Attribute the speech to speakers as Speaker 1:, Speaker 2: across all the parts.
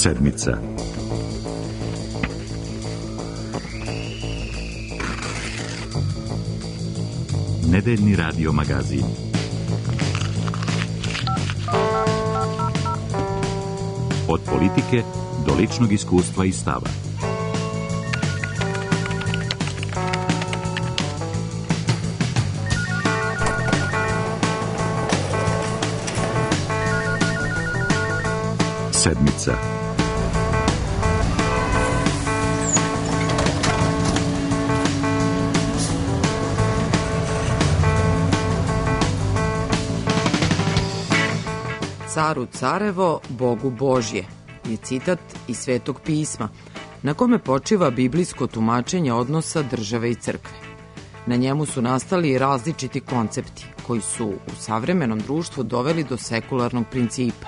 Speaker 1: Sedmica. Nedeljni radio magazin. Od politike do ličnog iskustva i stava. Sedmica.
Speaker 2: Caru carevo, Bogu Božje je citat iz Svetog pisma, na kome počiva biblijsko tumačenje odnosa države i crkve. Na njemu su nastali različiti koncepti koji su u savremenom društvu doveli do sekularnog principa.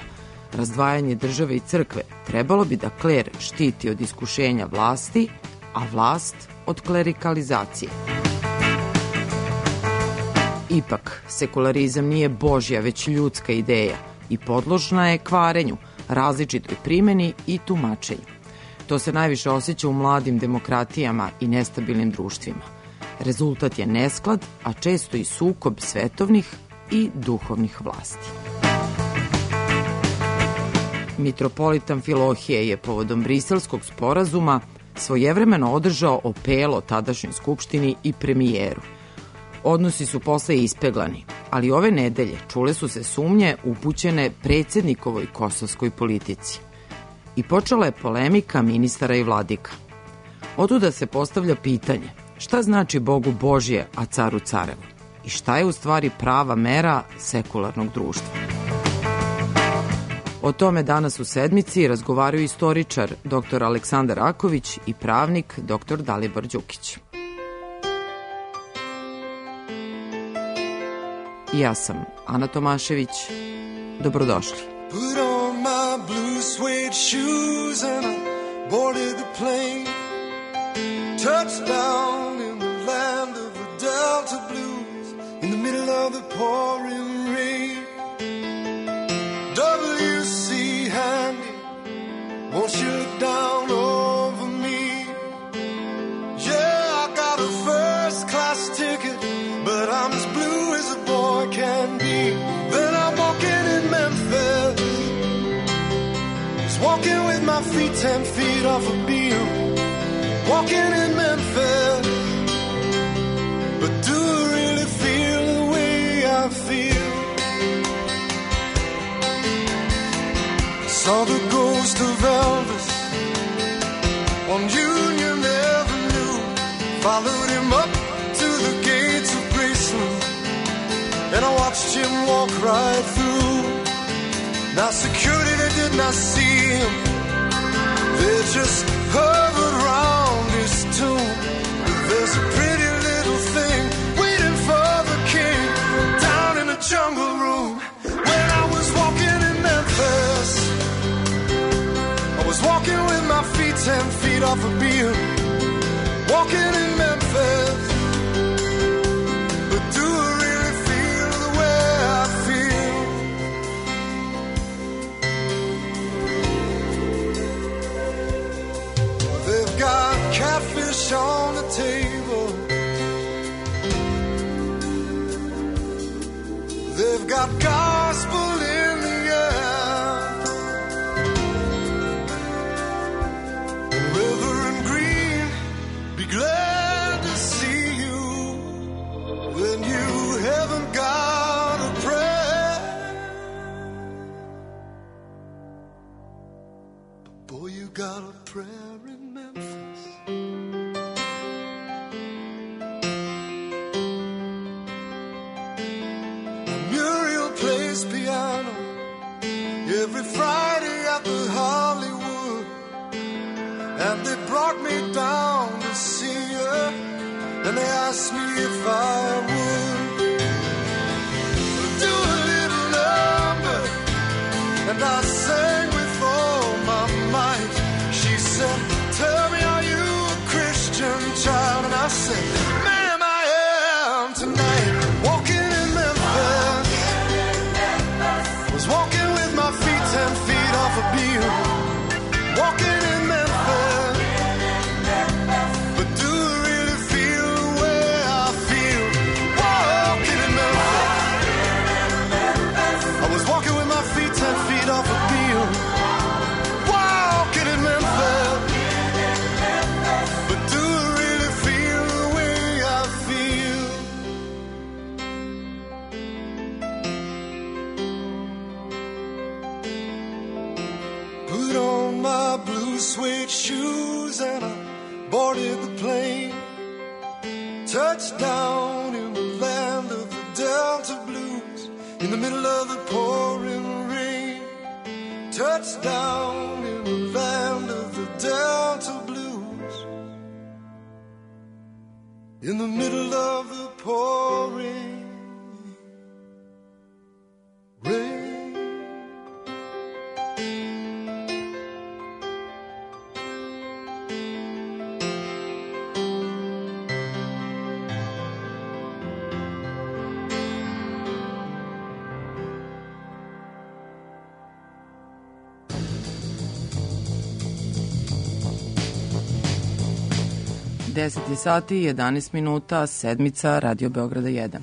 Speaker 2: Razdvajanje države i crkve trebalo bi da kler štiti od iskušenja vlasti, a vlast od klerikalizacije. Ipak, sekularizam nije Božja, već ljudska ideja i podložna je kvarenju, različitoj primeni i tumačenju. To se najviše osjeća u mladim demokratijama i nestabilnim društvima. Rezultat je nesklad, a često i sukob svetovnih i duhovnih vlasti. Mitropolita Amfilohije je povodom Briselskog sporazuma svojevremeno održao opelo tadašnjoj skupštini i premijeru. Odnosi su posle ispeglani, ali ove nedelje čule su se sumnje upućene predsjednikovoj kosovskoj politici. I počela je polemika ministara i vladika. Otuda se postavlja pitanje šta znači Bogu Božje, a caru carevo? I šta je u stvari prava mera sekularnog društva? O tome danas u Sedmici razgovaraju istoričar dr. Aleksandar Raković i pravnik dr. Dalibor Đukić. Ja sam Ana Tomašević. Dobrodošli. Put on my blue suede shoes and I boarded the plane. Touchdown in the land of the Delta Blues in the middle of the pouring rain. W.C. Handy, won't you look down over me? Yeah, I got a first class ticket, but I'm as blue as a boy can be. Then I'm walking in Memphis, just walking with my feet 10 feet off a beam. Walking in Memphis, but do I really feel the way I feel? Saw the ghost of Elvis on Union Avenue, followed him up to the gates of Graceland, and I watched him walk right through. Now security, they did not see him, they just hovered around his tomb. There's a pretty little thing waiting for the king down in the jungle room. When I was walking in Memphis, I was walking with my feet 10 feet off a beam. Walking in Memphis, but do I really feel the way I feel? They've got catfish on the table, they've got gospel in the air. Reverend Green, be glad to see you when you haven't got a prayer. But boy, you got a prayer in Memphis. Muriel plays piano every Friday at the Hollywood, and they brought me down to see her, and they asked me if I would do a little number, and I sang with all my might. She said, tell me, are you a Christian child? And I said, ma'am, I am tonight. Walking in Memphis, was walking with my feet 10 feet off a beam. blue suede shoes and I boarded the plane. Touched down in the land of the Delta Blues, in the middle of the pouring rain. Touched down in the land of the Delta Blues, in the middle of the pouring rain.
Speaker 3: Deset sati i 11 minuta, sedmica, Radio Beograda 1.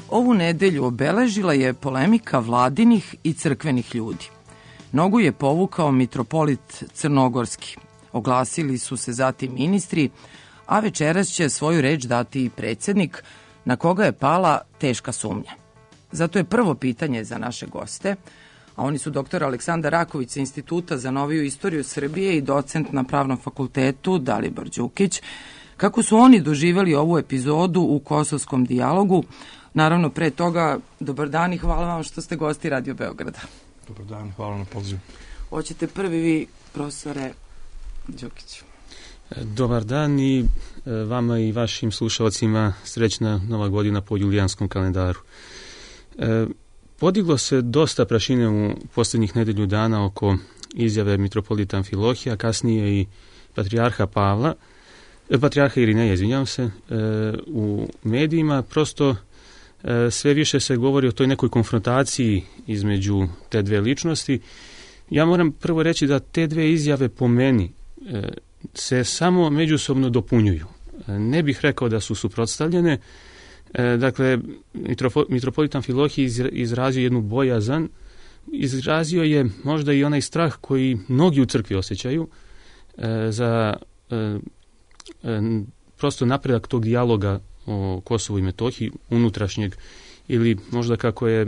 Speaker 3: Ovu nedelju obeležila je polemika vladinih i crkvenih ljudi. Nogu je povukao mitropolit Crnogorski. Oglasili su se zatim ministri, a večeras će svoju reč dati i predsjednik, na koga je pala teška sumnja. Zato je prvo pitanje za naše goste, a oni su dr. Aleksandar Raković sa Instituta za noviju istoriju Srbije i docent na Pravnom fakultetu Dalibor Đukić. Kako su oni doživjeli ovu epizodu u Kosovskom dijalogu? Naravno, pre toga, dobar dan i hvala vam što ste gosti Radio Beograda.
Speaker 4: Dobar dan, hvala na pozivu.
Speaker 3: Hoćete prvi vi, profesore Đukiću.
Speaker 4: Dobar dan i vama i vašim slušalcima srećna Nova godina po julijanskom kalendaru. Podiglo se dosta prašine u posljednjih nedelju dana oko izjave mitropolita Amfilohija, kasnije i patrijarha Irineja, izvinjavam se, u medijima. Prosto sve više se govori o toj nekoj konfrontaciji između te dve ličnosti. Ja moram prvo reći da te dve izjave po meni se samo međusobno dopunjuju. Ne bih rekao da su suprotstavljene. Dakle, mitropolit Amfilohij izrazio jednu bojazan, izrazio je možda i onaj strah koji mnogi u crkvi osjećaju za prosto napredak tog dijaloga o Kosovu i Metohiji, unutrašnjeg, ili možda kako je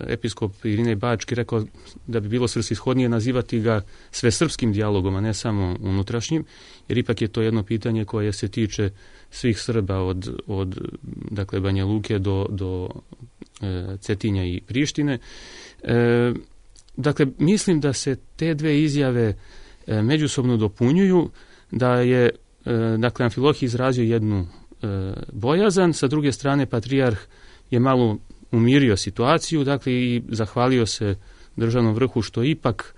Speaker 4: episkop Irinej Bački rekao da bi bilo svrsishodnije nazivati ga svesrpskim dijalogom, a ne samo unutrašnjim, jer ipak je to jedno pitanje koje se tiče svih Srba od dakle Banja Luke do Cetinja i Prištine. Dakle, mislim da se te dve izjave međusobno dopunjuju, da je dakle Amfilohij izrazio jednu bojazan, sa druge strane patrijarh je malo umirio situaciju, dakle i zahvalio se državnom vrhu što ipak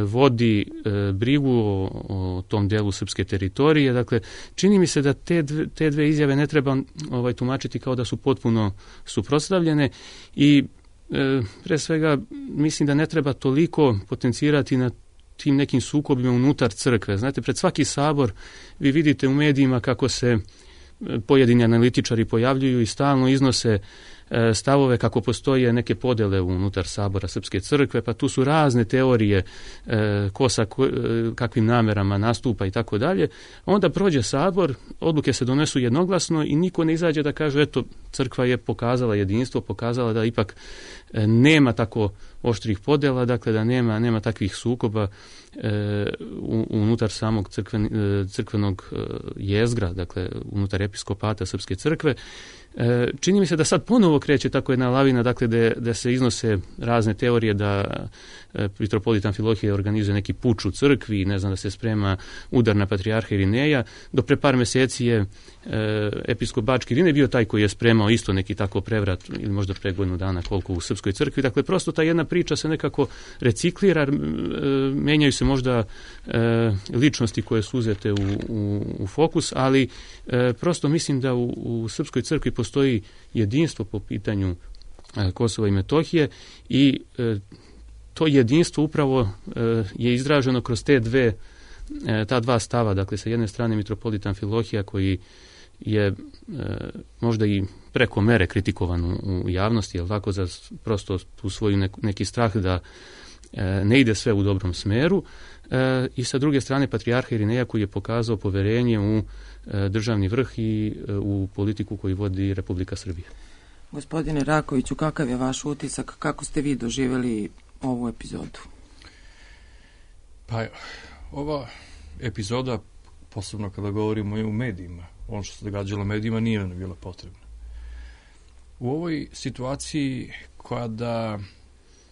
Speaker 4: vodi brigu o tom delu srpske teritorije. Dakle, čini mi se da te dve izjave ne treba tumačiti kao da su potpuno suprotstavljene i pre svega mislim da ne treba toliko potencirati na tim nekim sukobima unutar crkve. Znate, pred svaki sabor vi vidite u medijima kako se pojedini analitičari pojavljuju i stalno iznose stavove kako postoje neke podele unutar sabora Srpske crkve, pa tu su razne teorije ko sa kakvim namerama nastupa i tako dalje. Onda prođe sabor, odluke se donesu jednoglasno i niko ne izađe da kaže eto, crkva je pokazala jedinstvo, pokazala da ipak nema tako oštrih podela, dakle da nema takvih sukoba unutar samog crkvenog jezgra, dakle unutar episkopata Srpske crkve. Čini mi se da sad ponovo kreće tako jedna lavina, dakle da se iznose razne teorije da mitropolit Amfilohije organizuje neki puč u crkvi, ne znam, da se sprema udar na patrijarha Irineja. Do pre par meseci je episkop Bački Irinej bio taj koji je spremao isto neki tako prevrat, ili možda pre godinu dana koliko u Srpskoj crkvi. Dakle, prosto ta jedna priča se nekako reciklira, menjaju se možda ličnosti koje su uzete u fokus, ali prosto mislim da u Srpskoj crkvi postoji jedinstvo po pitanju Kosova i Metohije i to jedinstvo upravo je izraženo kroz ta dva stava. Dakle, sa jedne strane mitropolit Amfilohija koji je možda i preko mere kritikovan u javnosti, jel tako, za prosto tu svoju neki strah da ne ide sve u dobrom smeru, i sa druge strane patrijarha Irineja koji je pokazao poverenje u državni vrh i u politiku koju vodi Republika Srbija.
Speaker 3: Gospodine Rakoviću, kakav je vaš utisak, kako ste vi doživjeli ovu epizodu?
Speaker 5: Pa ova epizoda, posebno kada govorimo i u medijima, ono što se događalo u medijima nije nam bila potrebna. U ovoj situaciji kada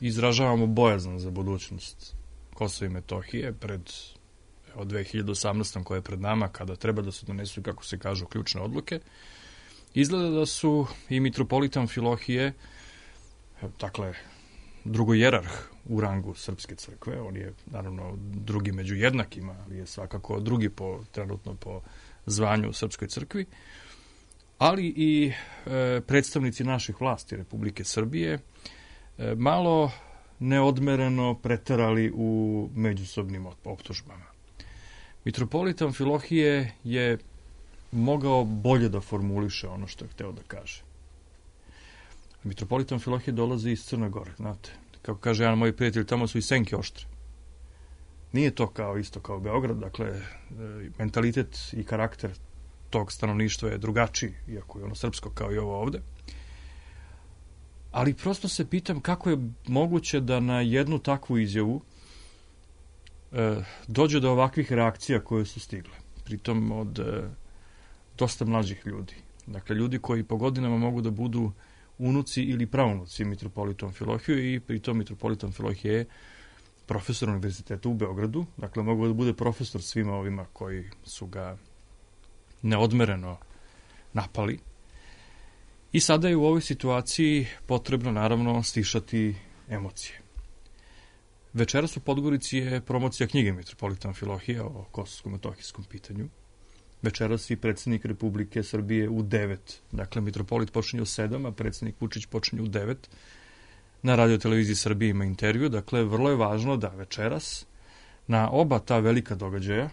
Speaker 5: izražavamo bojazan za budućnost Kosova i Metohije pred 2018. koja je pred nama, kada treba da se donesu, kako se kažu, ključne odluke, izgleda da su i mitropolita Amfilohije, dakle, drugojerarh u rangu Srpske crkve, on je naravno drugi među jednakima, ali je svakako drugi trenutno po zvanju u Srpskoj crkvi, ali i predstavnici naših vlasti Republike Srbije malo neodmereno preterali u međusobnim optužbama. Mitropolit Amfilohije je mogao bolje da formuliše ono što je hteo da kaže. Mitropolit Amfilohije dolazi iz Crne Gore, znate. Kako kaže jedan moj prijatelj, tamo su i senke oštre. Nije to isto kao Beograd, dakle, mentalitet i karakter tog stanovništva je drugačiji, iako je ono srpsko kao i ovo ovde. Ali prosto se pitam kako je moguće da na jednu takvu izjavu dođe do ovakvih reakcija koje su stigle. Pritom od dosta mlađih ljudi. Dakle, ljudi koji po godinama mogu da budu unuci ili praunuci mitropolita Amfilohije i pritom mitropolita Amfilohije je profesor univerziteta u Beogradu. Dakle, mogu da bude profesor svima ovima koji su ga neodmereno napali. I sada je u ovoj situaciji potrebno, naravno, stišati emocije. Večeras u Podgorici je promocija knjige mitropolita Amfilohije o kosovsko-metohijskom pitanju. Večeras i predsjednik Republike Srbije u 9. Dakle, mitropolit počinje u 7, a predsjednik Vučić počinje u 9. Na radioteleviziji Srbije ima intervju. Dakle, vrlo je važno da večeras na oba ta velika događaja,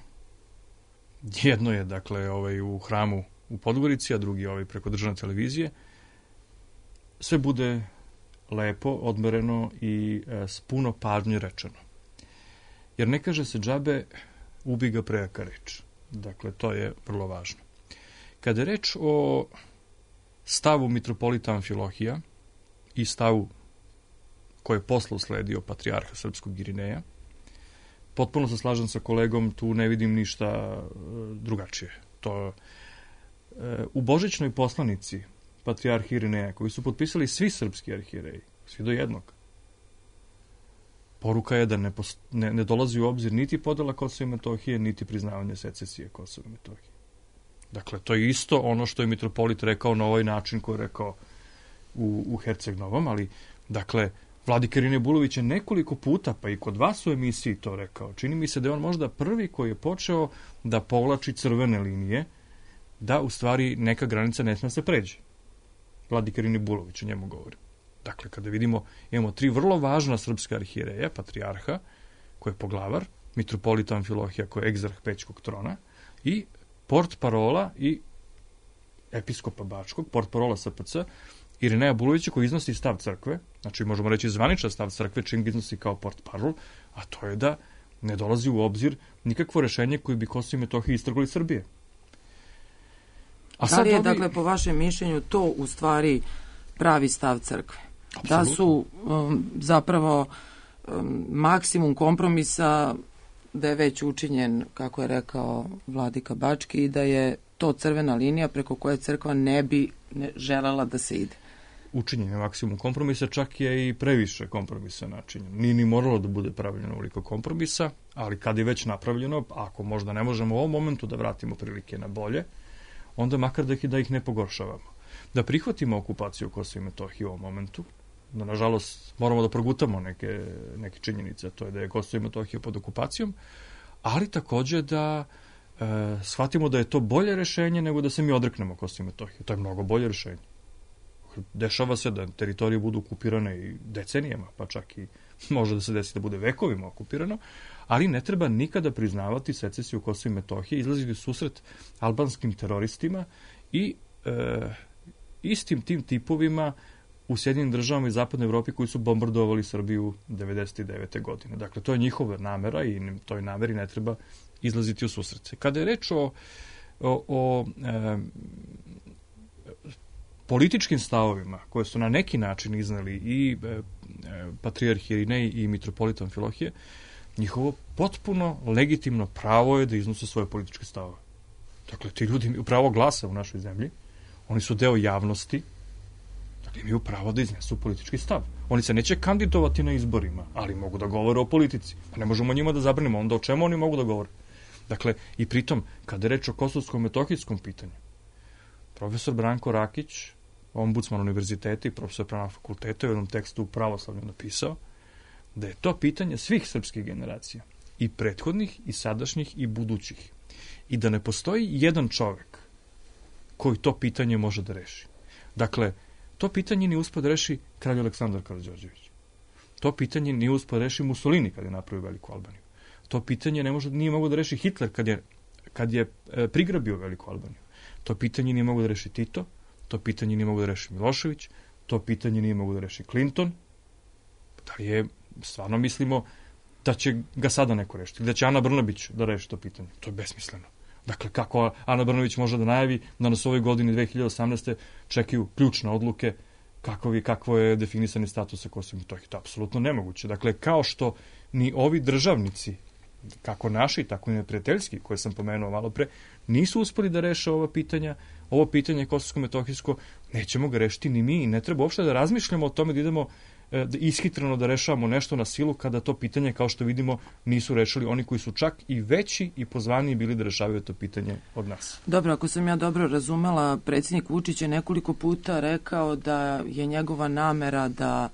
Speaker 5: jedno je, dakle, u hramu u Podgorici, a drugi preko državne televizije, sve bude lepo, odmereno i s puno pažnje rečeno. Jer ne kaže se džabe, ubi ga prejaka reč. Dakle, to je vrlo važno. Kada je reč o stavu mitropolita Amfilohija i stavu koji je posle usledio patrijarha srpskog Irineja, potpuno se slažem sa kolegom, tu ne vidim ništa drugačije. U božićnoj poslanici patrijarha Irineja, koji su potpisali svi srpski arhijereji, svi do jednog, poruka je da ne dolazi u obzir niti podela Kosova i Metohije, niti priznavanje secesije Kosova i Metohije. Dakle, to je isto ono što je mitropolit rekao na ovaj način koji je rekao u Herceg-Novom, ali, dakle, vladika Irinej Bulović je nekoliko puta, pa i kod vas u emisiji to rekao. Čini mi se da je on možda prvi koji je počeo da povlači crvene linije, da u stvari neka granica ne sme se pređe. Vladika Irinej Bulović, o njemu govori. Dakle, kada vidimo, imamo 3 vrlo važna srpska arhijereja, patrijarha, koji je poglavar, mitropolita Amfilohija, koji je egzarh Pećkog trona, i portparola i episkopa Bačkog, portparola SPC, Irineja Bulovića, koji iznosi stav crkve, znači možemo reći zvaničan stav crkve, čim ga iznosi kao portparol, a to je da ne dolazi u obzir nikakvo rešenje koje bi Kosovo i Metohiju istrgli iz Srbije.
Speaker 3: Da li je, dakle, po vašem mišljenju to u stvari pravi stav crkve? Absolutno. Da su zapravo maksimum kompromisa da je već učinjen, kako je rekao vladika Bački, i da je to crvena linija preko koje crkva ne bi želela da se ide.
Speaker 5: Učinjen je maksimum kompromisa, čak je i previše kompromisa načinjeno. Nije ni moralo da bude pravljeno ovoliko kompromisa, ali kad je već napravljeno, ako možda ne možemo u ovom momentu da vratimo prilike na bolje, onda makar da ih ne pogoršavamo. Da prihvatimo okupaciju Kosova i Metohije u ovom momentu, da nažalost moramo da progutamo neke činjenice, to je da je Kosovo i Metohija pod okupacijom, ali takođe da shvatimo da je to bolje rešenje nego da se mi odreknemo Kosova i Metohije. To je mnogo bolje rešenje. Dešava se da teritorije budu okupirane i decenijama, pa čak i može da se desi da bude vekovima okupirano, ali ne treba nikada priznavati secesiju Kosova i Metohije, izlaziti u susret albanskim teroristima i istim tim tipovima u Sjedinjenim državama i Zapadnoj Evropi koji su bombardovali Srbiju 1999. godine. Dakle, to je njihova namera i toj nameri ne treba izlaziti u susret. Kada je reč o političkim stavovima koje su na neki način iznali i patrijarh Irinej i mitropolit Amfilohije, njihovo potpuno legitimno pravo je da iznose svoje političke stavove. Dakle, ti ljudi imaju pravo glasa u našoj zemlji, oni su deo javnosti, dakle, imaju pravo da iznesu politički stav. Oni se neće kandidovati na izborima, ali mogu da govore o politici. Pa ne možemo njima da zabranimo, onda o čemu oni mogu da govore? Dakle, i pritom, kada je reč o kosovskom-metohijskom pitanju, profesor Branko Rakić, ombudsman univerziteta i profesor pravnog fakulteta, u jednom tekstu u Pravoslavlju napisao da je to pitanje svih srpskih generacija, i prethodnih, i sadašnjih, i budućih. I da ne postoji jedan čovek koji to pitanje može da reši. Dakle, to pitanje nije uspio da reši kralj Aleksandar Karađorđević. To pitanje nije uspio da reši Mussolini kad je napravio Veliku Albaniju. To pitanje nije mogao da reši Hitler kad je prigrabio Veliku Albaniju. To pitanje nije mogao da reši Tito, to pitanje nije mogao da reši Milošević, to pitanje nije mogao da reši Clinton. Da li je, stvarno mislimo da će ga sada neko rešiti, da će Ana Brnabić da reši to pitanje? To je besmisleno. Dakle, kako Ana Brnabić može da najavi da nas u ovoj godini 2018. čekaju ključne odluke kakvo je definisani status sa Kosovom i Metohijom? To je apsolutno nemoguće. Dakle, kao što ni ovi državnici, kako naši, tako i neprijateljski, koje sam pomenuo malo pre, nisu uspeli da reše ova pitanja, ovo pitanje kosovsko-metohijsko, nećemo ga rešiti ni mi i ne treba uopšte da razmišljamo o tome da idemo ishitreno da rešavamo nešto na silu kada to pitanje, kao što vidimo, nisu rešili oni koji su čak i veći i pozvaniji bili da rešavaju to pitanje od nas.
Speaker 3: Dobro, ako sam ja dobro razumela, predsjednik Vučić je nekoliko puta rekao da je njegova namera da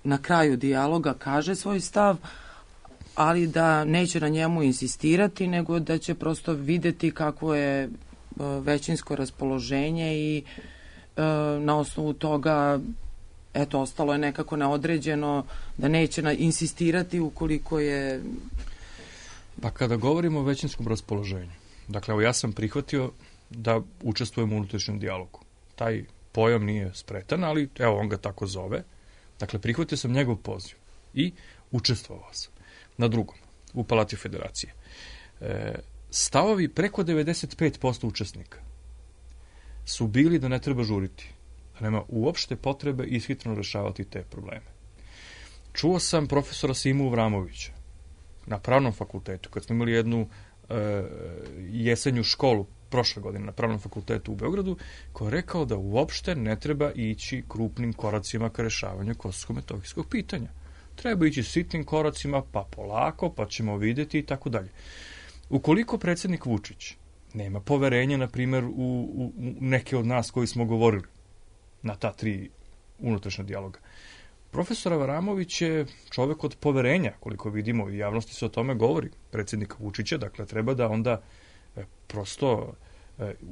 Speaker 3: na kraju dijaloga kaže svoj stav, ali da neće na njemu insistirati, nego da će prosto videti kako je većinsko raspoloženje i na osnovu toga ostalo je nekako neodređeno, da neće insistirati ukoliko je...
Speaker 5: Pa kada govorimo o većinskom raspoloženju, dakle, evo ja sam prihvatio da učestvujem u unutrašnjem dijalogu. Taj pojam nije spretan, ali evo on ga tako zove. Dakle, prihvatio sam njegov poziv i učestvovao sam. Na drugom, u Palati Federacije. Stavovi preko 95% učesnika su bili da ne treba žuriti, da nema uopšte potrebe ishitreno rešavati te probleme. Čuo sam profesora Simu Vramovića na Pravnom fakultetu, kad smo imali jednu jesenju školu prošle godine na Pravnom fakultetu u Beogradu, koji je rekao da uopšte ne treba ići krupnim koracima ka rešavanju kosovsko-metohijskog pitanja. Treba ići sitnim koracima, pa polako, pa ćemo videti i tako dalje. Ukoliko predsjednik Vučić nema poverenja, na primjer, u neke od nas koji smo govorili na ta 3 unutrašnja dijaloga, profesor Avramović je čovek od poverenja, koliko vidimo, u javnosti se o tome govori, predsjednika Vučića, dakle treba da onda prosto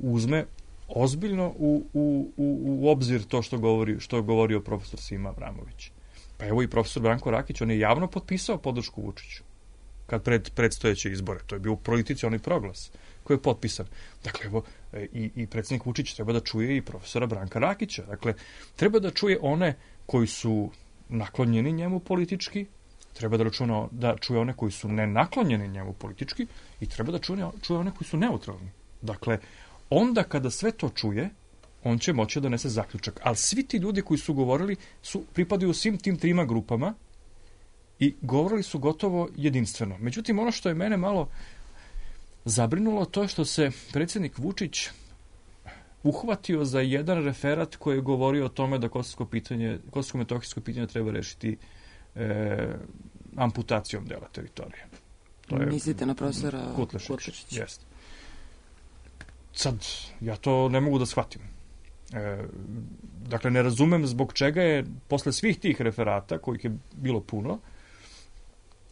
Speaker 5: uzme ozbiljno u obzir to što je govorio profesor Sima Avramović. Pa evo i profesor Branko Rakić, on je javno potpisao podršku Vučiću kad predstojeće izbore. To je bio u politici onaj proglas koji je potpisan. Dakle, evo, i predsjednik Vučić treba da čuje i profesora Branka Rakića. Dakle, treba da čuje one koji su naklonjeni njemu politički, treba da čuje one koji su nenaklonjeni njemu politički i treba da čuje one koji su neutralni. Dakle, onda kada sve to čuje, on će moći da donese zaključak. Ali svi ti ljudi koji su govorili pripadaju svim tim 3 grupama i govorili su gotovo jedinstveno. Međutim, ono što je mene malo zabrinulo, to je što se predsjednik Vučić uhvatio za jedan referat koji je govorio o tome da kosovsko-metohijsko pitanje treba rešiti amputacijom dela teritorije.
Speaker 3: Mislite na profesora
Speaker 5: Kutlešića? Jeste. Sad, ja to ne mogu da shvatim. Dakle, ne razumem zbog čega je posle svih tih referata, kojih je bilo puno,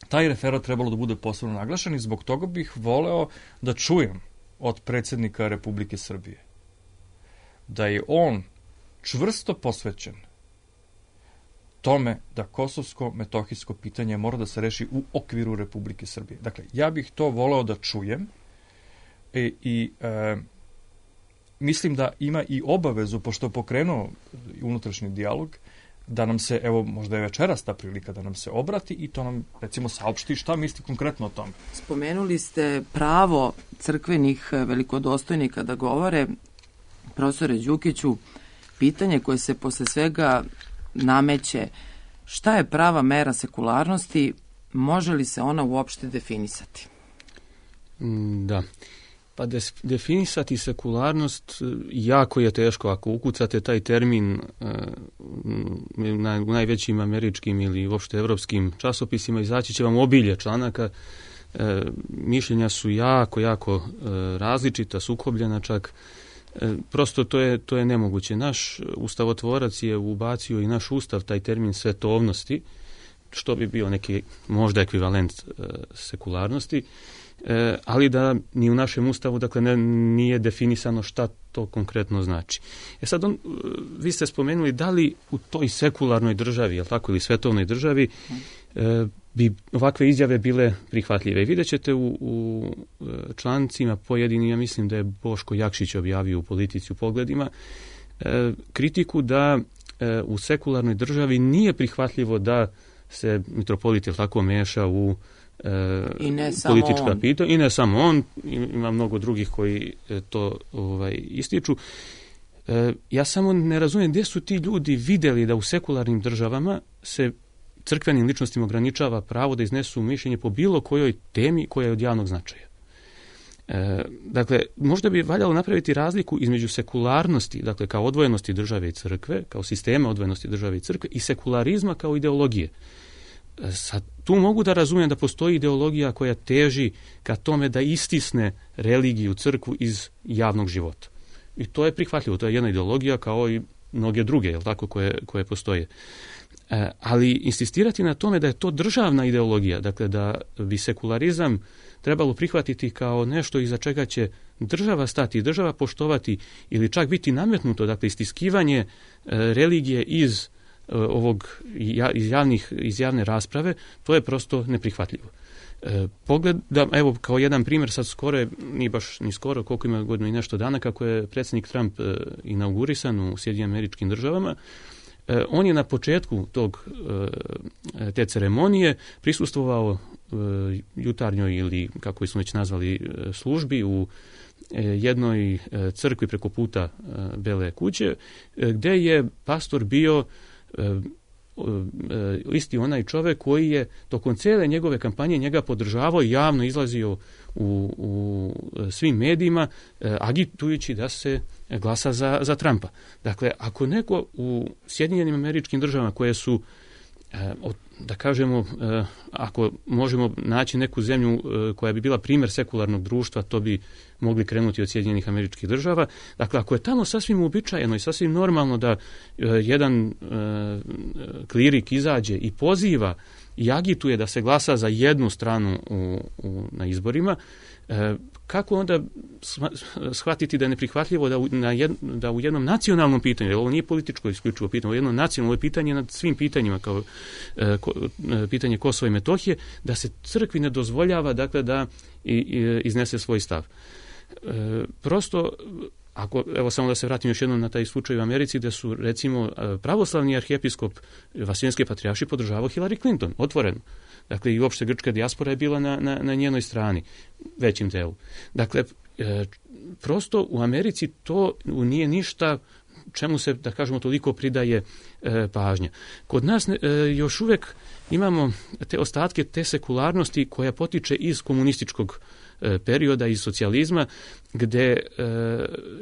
Speaker 5: taj referat trebalo da bude posebno naglašen i zbog toga bih voleo da čujem od predsjednika Republike Srbije da je on čvrsto posvećen tome da kosovsko-metohijsko pitanje mora da se reši u okviru Republike Srbije. Dakle, ja bih to voleo da čujem i mislim da ima i obavezu, pošto je pokrenuo unutrašnji dijalog, da nam se, evo, možda je večeras ta prilika da nam se obrati i to nam, recimo, saopšti šta misli konkretno o tome.
Speaker 3: Spomenuli ste pravo crkvenih velikodostojnika da govore. Profesore Đukiću, pitanje koje se posle svega nameće. Šta je prava mera sekularnosti? Može li se ona uopšte definisati?
Speaker 4: Da. Pa definisati sekularnost jako je teško. Ako ukucate taj termin u najvećim američkim ili uopšte evropskim časopisima, izaći će vam obilje članaka. Mišljenja su jako različita, sukobljena čak. Prosto to je nemoguće. Naš ustavotvorac je ubacio i naš ustav taj termin svetovnosti, što bi bio neki možda ekvivalent sekularnosti, ali da ni u našem ustavu nije definisano šta to konkretno znači. Sad vi ste spomenuli da li u toj sekularnoj državi, jel tako, ili svetovnoj državi bi ovakve izjave bile prihvatljive. I vidjet ćete u člancima pojedini, ja mislim da je Boško Jakšić objavio u Politici u Pogledima, kritiku da u sekularnoj državi nije prihvatljivo da se mitropolit tako meša u politička pitanja. I ne samo on, ima mnogo drugih koji to ističu. Ja samo ne razumijem gdje su ti ljudi vidjeli da u sekularnim državama se crkvenim ličnostima ograničava pravo da iznesu mišljenje po bilo kojoj temi koja je od javnog značaja. Dakle, možda bi valjalo napraviti razliku između sekularnosti, dakle kao odvojenosti države i crkve, kao sistema odvojenosti države i crkve, i sekularizma kao ideologije. Sad, tu mogu da razumijem da postoji ideologija koja teži ka tome da istisne religiju, crkvu iz javnog života. I to je prihvatljivo, to je jedna ideologija kao i mnoge druge, jel tako, koje postoje. Ali insistirati na tome da je to državna ideologija, dakle da bi sekularizam trebalo prihvatiti kao nešto iza čega će država stati, država poštovati ili čak biti nametnuto, dakle istiskivanje religije iz iz javne rasprave, to je prosto neprihvatljivo. Pogledam, evo kao jedan primjer, sad skoro, nije baš ni skoro, koliko ima godinu i nešto dana, kako je predsjednik Trump inaugurisan u Sjedinjenim Američkim Državama, on je na početku te ceremonije prisustvovao jutarnjoj ili kako smo već nazvali službi u jednoj crkvi preko puta Bele kuće, gdje je pastor bio isti onaj čovjek koji je tokom cijele njegove kampanje njega podržavao i javno izlazio u svim medijima agitujući da se glasa za Trumpa. Dakle, ako neko u Sjedinjenim Američkim Državama koje su, da kažemo, ako možemo naći neku zemlju koja bi bila primjer sekularnog društva, to bi mogli krenuti od Sjedinjenih Američkih Država. Dakle, ako je tamo sasvim uobičajeno i sasvim normalno da jedan klirik izađe i poziva i agituje da se glasa za jednu stranu na izborima, kako onda shvatiti da je neprihvatljivo da u jednom nacionalnom pitanju, jer ovo nije političko isključivo pitanje, ovo je jedno nacionalno pitanje nad svim pitanjima, kao pitanje Kosova i Metohije, da se crkvi ne dozvoljava, dakle, da iznese svoj stav. Prosto, evo samo da se vratim još jednom na taj slučaj u Americi, da su recimo pravoslavni arhijepiskop Vaseljenske patrijaršije podržavao Hillary Clinton, otvoreno. Dakle, i uopšte grčka dijaspora je bila na njenoj strani, većim delu. Dakle, prosto u Americi to nije ništa čemu se, da kažemo, toliko pridaje pažnja. Kod nas još uvijek imamo te ostatke te sekularnosti koja potiče iz komunističkog perioda, iz socijalizma, gdje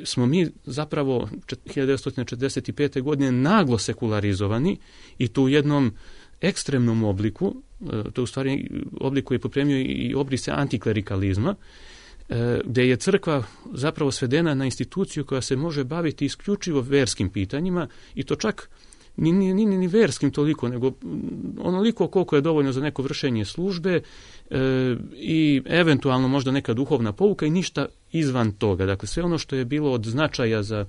Speaker 4: smo mi zapravo 1945. godine naglo sekularizovani i to u jednom ekstremnom obliku, to je u stvari oblik koji je popremio i obrise antiklerikalizma, gdje je crkva zapravo svedena na instituciju koja se može baviti isključivo verskim pitanjima i to čak ni verskim toliko, nego onoliko koliko je dovoljno za neko vršenje službe i eventualno možda neka duhovna pouka i ništa izvan toga. Dakle, sve ono što je bilo od značaja za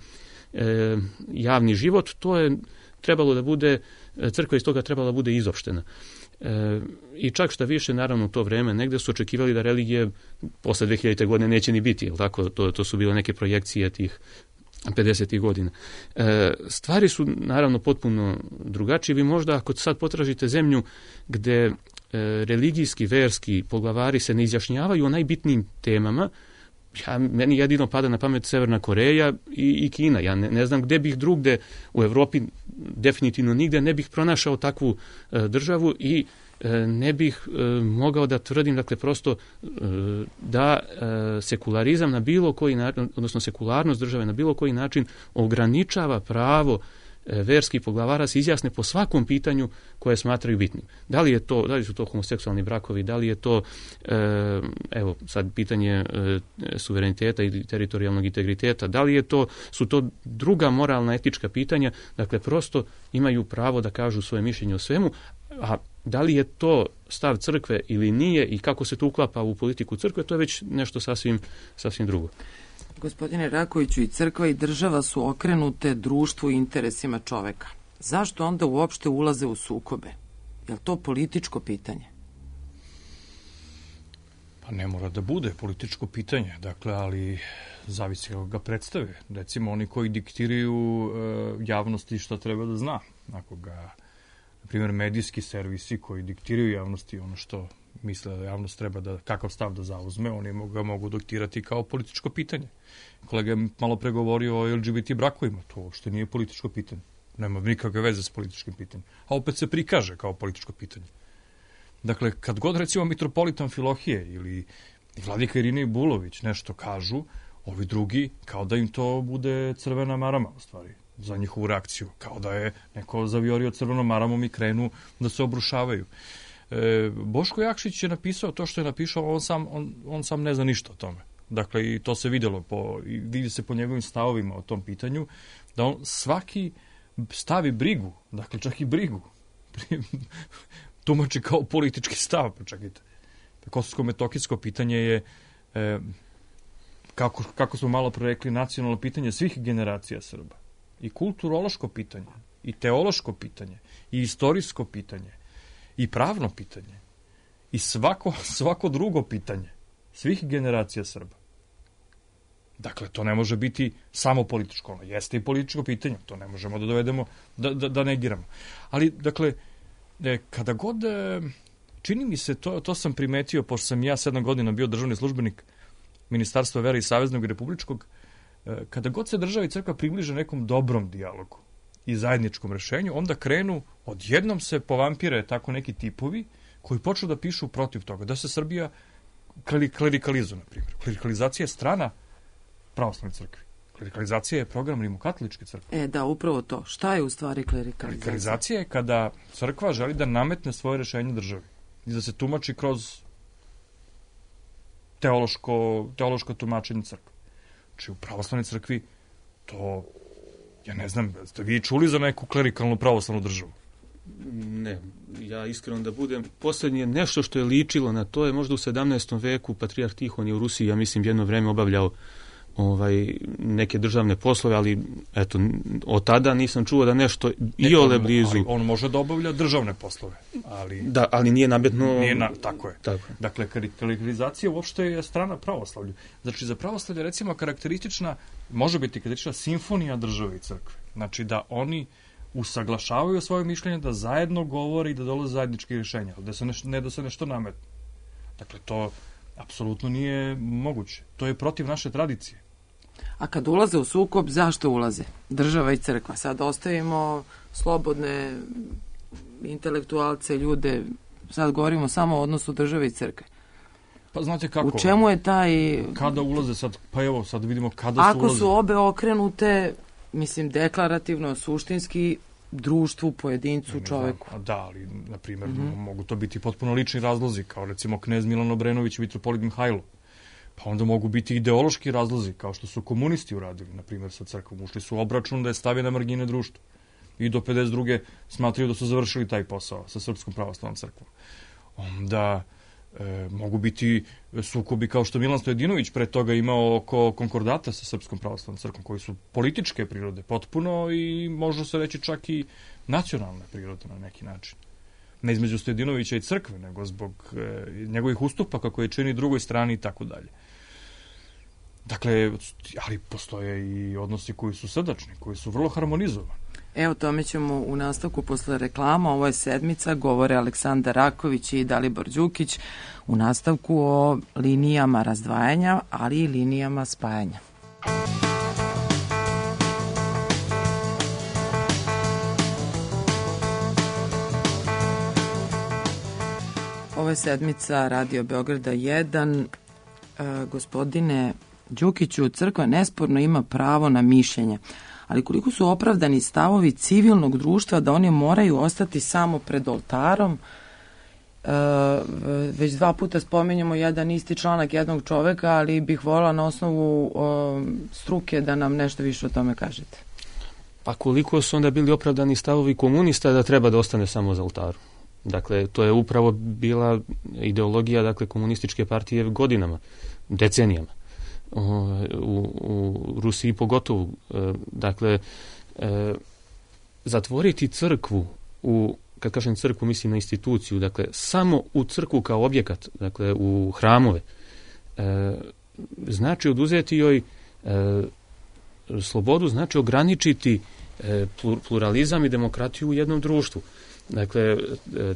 Speaker 4: javni život, to je trebalo da bude, crkva iz toga trebala da bude izopštena. I čak šta više, naravno, u to vreme negdje su očekivali da religije posle 2000. godine neće ni biti, jel tako? To su bile neke projekcije tih 50. godina. Stvari su naravno potpuno drugačije. Vi možda ako sad potražite zemlju gdje religijski, verski poglavari se ne izjašnjavaju o najbitnijim temama, meni jedino pada na pamet Severna Koreja i Kina. Ja ne znam gde bih drugde u Evropi, definitivno nigde, ne bih pronašao takvu državu i ne bih mogao da tvrdim, dakle, prosto da sekularizam na bilo koji način, odnosno sekularnost države na bilo koji način ograničava pravo verskih poglavara se izjasne po svakom pitanju koje smatraju bitnim. Da li su to homoseksualni brakovi, da li je to evo sad pitanje suvereniteta i teritorijalnog integriteta, da li su to druga moralna etička pitanja, dakle prosto imaju pravo da kažu svoje mišljenje o svemu, a da li je to stav crkve ili nije i kako se to uklapa u politiku crkve, to je već nešto sasvim drugo.
Speaker 3: Gospodine Rakoviću, i crkva i država su okrenute društvu i interesima čoveka. Zašto onda uopšte ulaze u sukobe? Je li to političko pitanje?
Speaker 5: Pa ne mora da bude političko pitanje, dakle, ali zavisi kako ga predstave. Recimo, oni koji diktiraju javnosti šta treba da zna. Ako ga, na primjer, medijski servisi koji diktiraju javnosti ono što misle da javnost treba da, kakav stav da zauzme, oni ga mogu diktirati kao političko pitanje. Kolega je malo pregovorio o LGBT brakovima, to uopšte nije političko pitanje. Nema nikakve veze s političkim pitanjem. A opet se prikaže kao političko pitanje. Dakle, kad god recimo mitropolit Amfilohije ili vladika Irinej Bulović nešto kažu, ovi drugi kao da im to bude crvena marama, u stvari, za njihovu reakciju. Kao da je neko zaviorio crvenom maramom i krenu da se obrušavaju. Boško Jakšić je napisao to što je napisao, on sam ne zna ništa o tome. Dakle, i to se vidjelo, vidi se po njegovim stavovima o tom pitanju, da on svaki stavi brigu, dakle čak i brigu, tumači kao politički stav, pa čekajte. Kosovsko-metokijsko pitanje je, kako smo malo pre rekli, nacionalno pitanje svih generacija Srba. I kulturološko pitanje, i teološko pitanje, i istorijsko pitanje, i pravno pitanje, i svako drugo pitanje svih generacija Srba. Dakle, to ne može biti samo političko, ono jeste i političko pitanje, to ne možemo da dovedemo, da negiramo. Ali, dakle, kada god, čini mi se, to sam primetio, pošto sam ja 7 godina bio državni službenik Ministarstva vere i Saveznog i Republičkog, kada god se država i crkva približe nekom dobrom dijalogu i zajedničkom rešenju, onda odjednom se povampire tako neki tipovi koji počnu da pišu protiv toga, da se Srbija klerikalizuje, na primjer. Klerikalizacija je strana pravoslavne crkve. Klerikalizacija je program rimokatoličke crkve.
Speaker 3: Da, upravo to. Šta je u stvari klerikalizacija?
Speaker 5: Klerikalizacija je kada crkva želi da nametne svoje rešenje državi i da se tumači kroz teološko tumačenje crkve. Znači, u pravoslavnoj crkvi to, ja ne znam, ste vi čuli za neku klerikalnu pravoslavnu državu?
Speaker 4: Ne, ja iskreno da budem, posljednje nešto što je ličilo na to je možda u 17. veku patrijarh Tihon je u Rusiji, ja mislim, jedno vreme obavljao neke državne poslove, ali eto, od tada nisam čuo da nešto iole blizu.
Speaker 5: Ali on može da obavlja državne poslove, ali...
Speaker 4: Da, ali nije nametno...
Speaker 5: Tako je. Dakle, klerikalizacija uopšte je strana pravoslavlju. Znači, za pravoslavlje, recimo, može biti karakteristična simfonija države i crkve. Znači, da oni usaglašavaju svoje mišljenje, da zajedno govore i da dolaze zajedničke rješenja, ne da se nešto nametne. Dakle, to apsolutno nije moguće. To je protiv naše tradicije.
Speaker 3: A kad ulaze u sukob, zašto ulaze? Država i crkva. Sad ostavimo slobodne intelektualce, ljude, sad govorimo samo o odnosu države i crkve.
Speaker 5: Pa znate kako?
Speaker 3: U čemu je taj...
Speaker 5: Kada ulaze sad? Pa evo, sad vidimo kada su ulaze.
Speaker 3: Ako su obe okrenute, mislim, deklarativno, suštinski, društvu, pojedincu, čoveku.
Speaker 5: Da, ali, na primjer, mogu to biti potpuno lični razlozi, kao recimo knez Milan Obrenović i mitropolit Mihajlo. Pa onda mogu biti ideološki razlozi, kao što su komunisti uradili, na primjer, sa crkvom. Ušli su u obračun da je stavio na margine društva. I do 52. smatraju da su završili taj posao sa Srpskom pravoslavnom crkvom. Onda mogu biti sukobi kao što Milan Stojadinović pre toga imao oko konkordata sa Srpskom pravoslavnom crkvom, koji su političke prirode potpuno i može se reći čak i nacionalne prirode na neki način. Ne između Stojadinovića i crkve, nego zbog njegovih ustupaka koje čini drugoj strani i tako dalje. Dakle, ali postoje i odnosi koji su srdačni, koji su vrlo harmonizovani.
Speaker 3: Evo, tome ćemo u nastavku posle reklama. Ovo je Sedmica, govore Aleksandar Raković i Dalibor Đukić u nastavku o linijama razdvajanja, ali i linijama spajanja. Ovo je Sedmica Radio Beograda 1. Gospodine Đukiću, crkva nesporno ima pravo na mišljenje, ali koliko su opravdani stavovi civilnog društva da oni moraju ostati samo pred oltarom? Već 2 puta spominjamo jedan isti članak jednog čoveka, ali bih voljela na osnovu struke da nam nešto više o tome kažete.
Speaker 4: Pa koliko su onda bili opravdani stavovi komunista da treba da ostane samo za oltarom? Dakle, to je upravo bila ideologija, dakle, komunističke partije godinama, decenijama. U Rusiji pogotovo. Dakle, zatvoriti crkvu, kad kažem crkvu, mislim na instituciju, dakle, samo u crkvu kao objekat, dakle, u hramove, znači oduzeti joj slobodu, znači ograničiti pluralizam i demokratiju u jednom društvu. Dakle,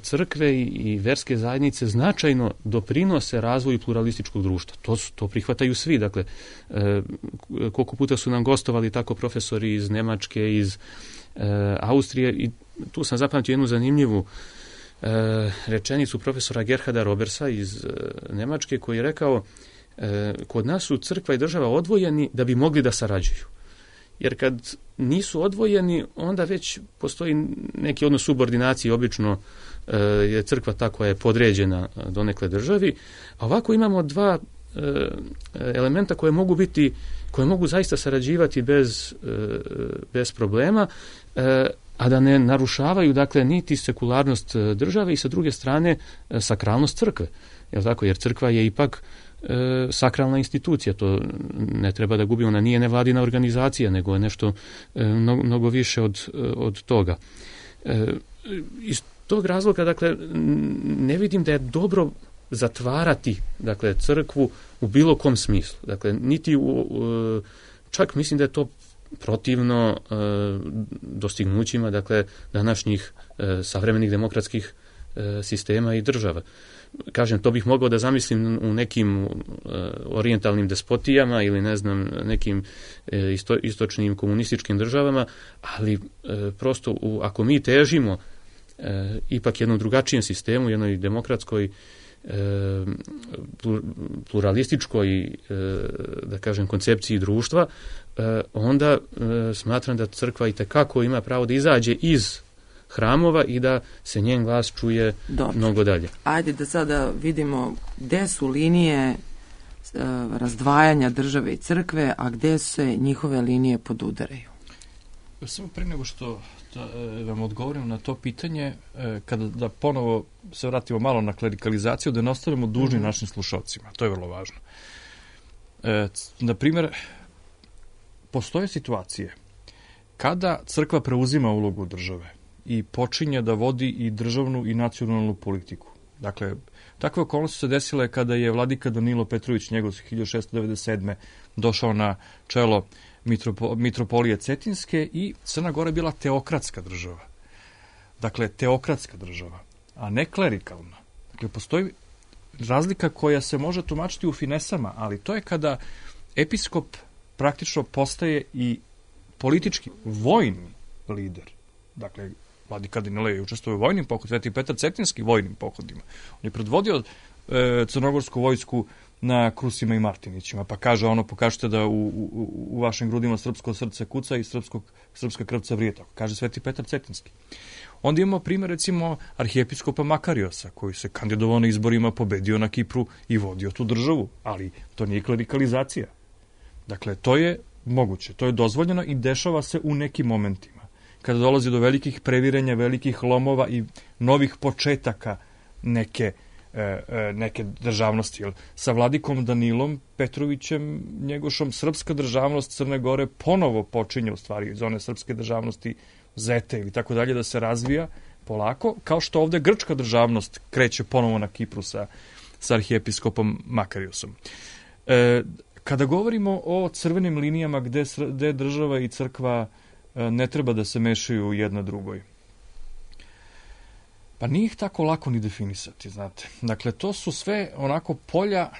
Speaker 4: crkve i verske zajednice značajno doprinose razvoju pluralističkog društva. To prihvataju svi. Dakle, koliko puta su nam gostovali tako profesori iz Nemačke, iz Austrije, i tu sam zapamtio jednu zanimljivu rečenicu profesora Gerharda Robersa iz Nemačke, koji je rekao: kod nas su crkva i država odvojeni da bi mogli da sarađuju. Jer kad nisu odvojeni, onda već postoji neki odnos subordinacije, obično je crkva ta koja je podređena donekle državi, a ovako imamo 2 elementa koje mogu zaista sarađivati bez problema, a da ne narušavaju, dakle, niti sekularnost države i sa druge strane sakralnost crkve. Jer crkva je ipak sakralna institucija, to ne treba da gubi, ona nije nevladina organizacija, nego je nešto mnogo više od toga. Iz tog razloga, dakle, ne vidim da je dobro zatvarati, dakle, crkvu u bilo kom smislu. Dakle, čak mislim da je to protivno dostignućima, dakle, današnjih savremenih demokratskih sistema i država. Kažem, to bih mogao da zamislim u nekim orijentalnim despotijama ili ne znam, nekim istočnim komunističkim državama, ali prosto ako mi težimo ipak jednom drugačijem sistemu, jednoj demokratskoj, pluralističkoj, da kažem, koncepciji društva, onda smatram da crkva itekako ima pravo da izađe iz hramova i da se njen glas čuje mnogo dalje.
Speaker 3: Ajde da sada vidimo gde su linije razdvajanja države i crkve, a gde se njihove linije podudaraju.
Speaker 5: Samo pre nego što vam odgovorim na to pitanje, da ponovo se vratimo malo na klerikalizaciju, da ne ostavimo dužni našim slušalcima. To je vrlo važno. Na primjer, postoje situacije kada crkva preuzima ulogu države i počinje da vodi i državnu i nacionalnu politiku. Dakle, takve okolnosti se desile kada je vladika Danilo Petrović njegov 1697. došao na čelo mitropolije Cetinske i Crna Gora je bila teokratska država. Dakle, teokratska država, a ne klerikalna. Dakle, postoji razlika koja se može tumačiti u finesama, ali to je kada episkop praktično postaje i politički, vojni lider. Dakle, vladika Danilo je učestvovao u vojnim pohodima, Sveti Petar Cetinski vojnim pohodima. On je predvodio crnogorsku vojsku na Krusima i Martinićima, pa kaže pokažete da u vašim grudima srpsko srce kuca i srpska krvca vrijeta, kaže Sveti Petar Cetinski. Onda imamo primjer, recimo, arhijepiskopa Makariosa, koji se kandidovao na izborima, pobedio na Kipru i vodio tu državu, ali to nije klerikalizacija. Dakle, to je moguće, to je dozvoljeno i dešava se u nekim momentima. Kada dolazi do velikih previranja, velikih lomova i novih početaka neke državnosti. Sa vladikom Danilom Petrovićem Njegošom srpska državnost Crne Gore ponovo počinje u stvari iz one srpske državnosti Zete ili tako dalje da se razvija polako, kao što ovde grčka državnost kreće ponovo na Kipru sa arhijepiskopom Makariosom. Kada govorimo o crvenim linijama gde država i crkva ne treba da se mešaju jedna drugoj. Pa nije ih tako lako ni definisati, znate. Dakle, to su sve onako polja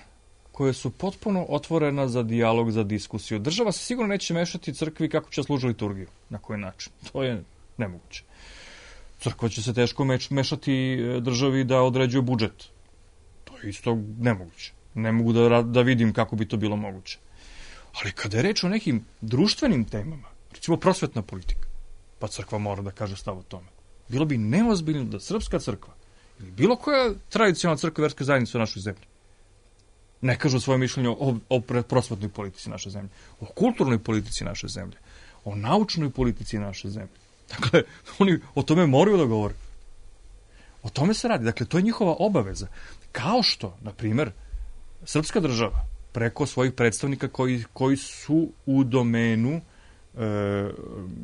Speaker 5: koje su potpuno otvorena za dijalog, za diskusiju. Država se sigurno neće mešati crkvi kako će služiti liturgiju, na koji način. To je nemoguće. Crkva će se teško mešati državi da određuje budžet. To je isto nemoguće. Ne mogu da vidim kako bi to bilo moguće. Ali kada je reč o nekim društvenim temama, recimo prosvetna politika, pa crkva mora da kaže stav o tome. Bilo bi neozbiljno da srpska crkva ili bilo koja tradicionalna crkva i verska zajednica u našoj zemlji ne kažu svoje mišljenje o prosvetnoj politici naše zemlje, o kulturnoj politici naše zemlje, o naučnoj politici naše zemlje. Dakle, oni o tome moraju da govore. O tome se radi. Dakle, to je njihova obaveza. Kao što, na primjer, srpska država preko svojih predstavnika koji su u domenu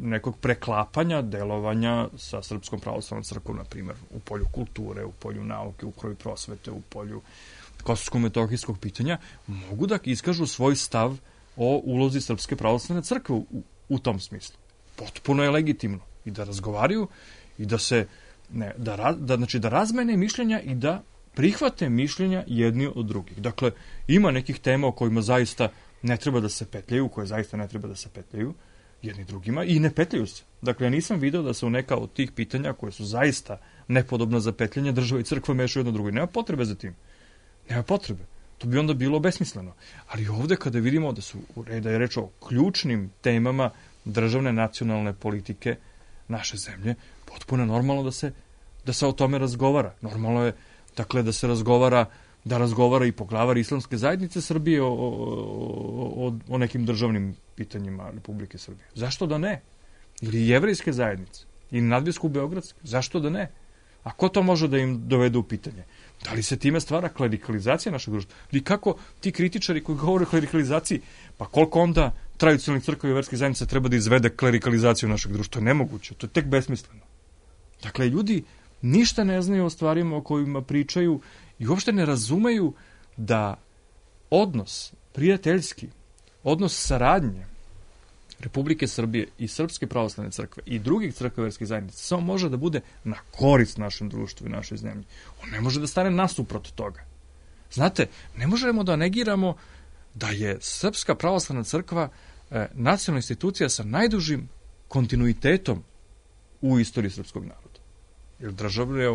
Speaker 5: nekog preklapanja, delovanja sa Srpskom pravoslavnom crkvom, na primjer, u polju kulture, u polju nauke, u polju prosvete, u polju kosovsko-metohijskog pitanja, mogu da iskažu svoj stav o ulozi Srpske pravoslavne crkve u tom smislu. Potpuno je legitimno i da razgovaraju i da se da razmene mišljenja i da prihvate mišljenja jedni od drugih. Dakle, ima nekih tema o kojima zaista ne treba da se petljaju, koje zaista ne treba da se petljaju jedni drugima i ne petljaju se. Dakle, ja nisam video da se u neka od tih pitanja koje su zaista nepodobna za petljanje država i crkva mešaju jedno drugo. Nema potrebe za tim. Nema potrebe. To bi onda bilo besmisleno. Ali ovde kada vidimo da je reč o ključnim temama državne nacionalne politike naše zemlje, potpuno je normalno da se o tome razgovara. Normalno je, dakle, da se razgovara i poglavar Islamske zajednice Srbije o nekim državnim pitanjima Republike Srbije. Zašto da ne? Ili jevrejske zajednice, ili nadbiskup-beogradske. Zašto da ne? A ko to može da im dovede u pitanje? Da li se time stvara klerikalizacija našeg društva? I kako ti kritičari koji govore o klerikalizaciji, pa koliko onda tradicionalnih crkava i verskih zajednica treba da izvede klerikalizaciju našeg društva? To je nemoguće, to je tek besmisleno. Dakle, ljudi ništa ne znaju o stvarima o kojima pričaju i uopšte ne razumeju da odnos prijateljski, odnos saradnje Republike Srbije i Srpske pravoslavne crkve i drugih crkava i verskih zajednica samo može da bude na korist našem društvu i našoj zemlji. On ne može da stane nasuprot toga. Znate, ne možemo da negiramo da je Srpska pravoslavna crkva nacionalna institucija sa najdužim kontinuitetom u istoriji srpskog naroda. Jer državni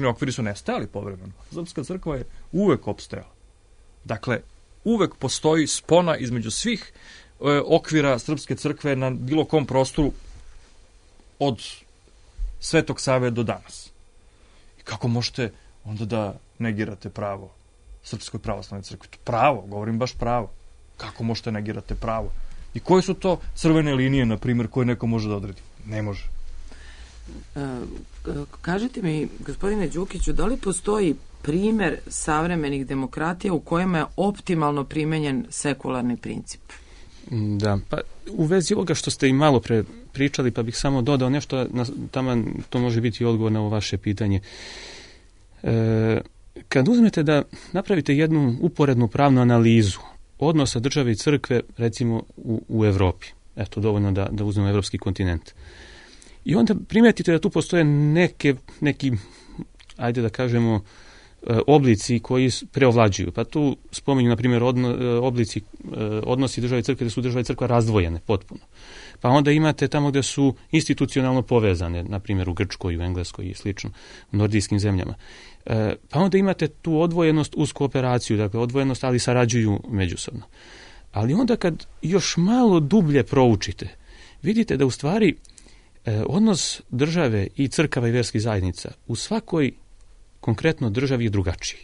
Speaker 5: okviri su nestajali povremeno. Srpska crkva je uvek opstajala. Dakle, uvek postoji spona između svih okvira Srpske crkve na bilo kom prostoru od Svetog Save do danas. I kako možete onda da negirate pravo Srpskoj pravoslavnoj crkvi? Pravo, govorim baš pravo. Kako možete negirate pravo? I koje su to crvene linije, na primjer, koje neko može da odredi? Ne može.
Speaker 3: Kažite mi, gospodine Đukiću, da li postoji primer savremenih demokratija u kojima je optimalno primenjen sekularni princip?
Speaker 4: Da, pa u vezi ovoga što ste i malo pre pričali, pa bih samo dodao nešto, taman to može biti odgovor na ovo vaše pitanje. Kad uzmete da napravite jednu uporednu pravnu analizu odnosa države i crkve, recimo u Evropi, eto, dovoljno da uzmemo evropski kontinent, i onda primetite da tu postoje neki, ajde da kažemo, oblici koji preovlađuju. Pa tu spominju, na primjer, odnosi države i crkve, da su država i crkva razdvojene potpuno. Pa onda imate tamo gde su institucionalno povezane, na primjer u Grčkoj, u Engleskoj i slično, u nordijskim zemljama. Pa onda imate tu odvojenost uz kooperaciju, dakle odvojenost, ali sarađuju međusobno. Ali onda kad još malo dublje proučite, vidite da u stvari odnos države i crkava i verskih zajednica u svakoj konkretno državi je drugačiji.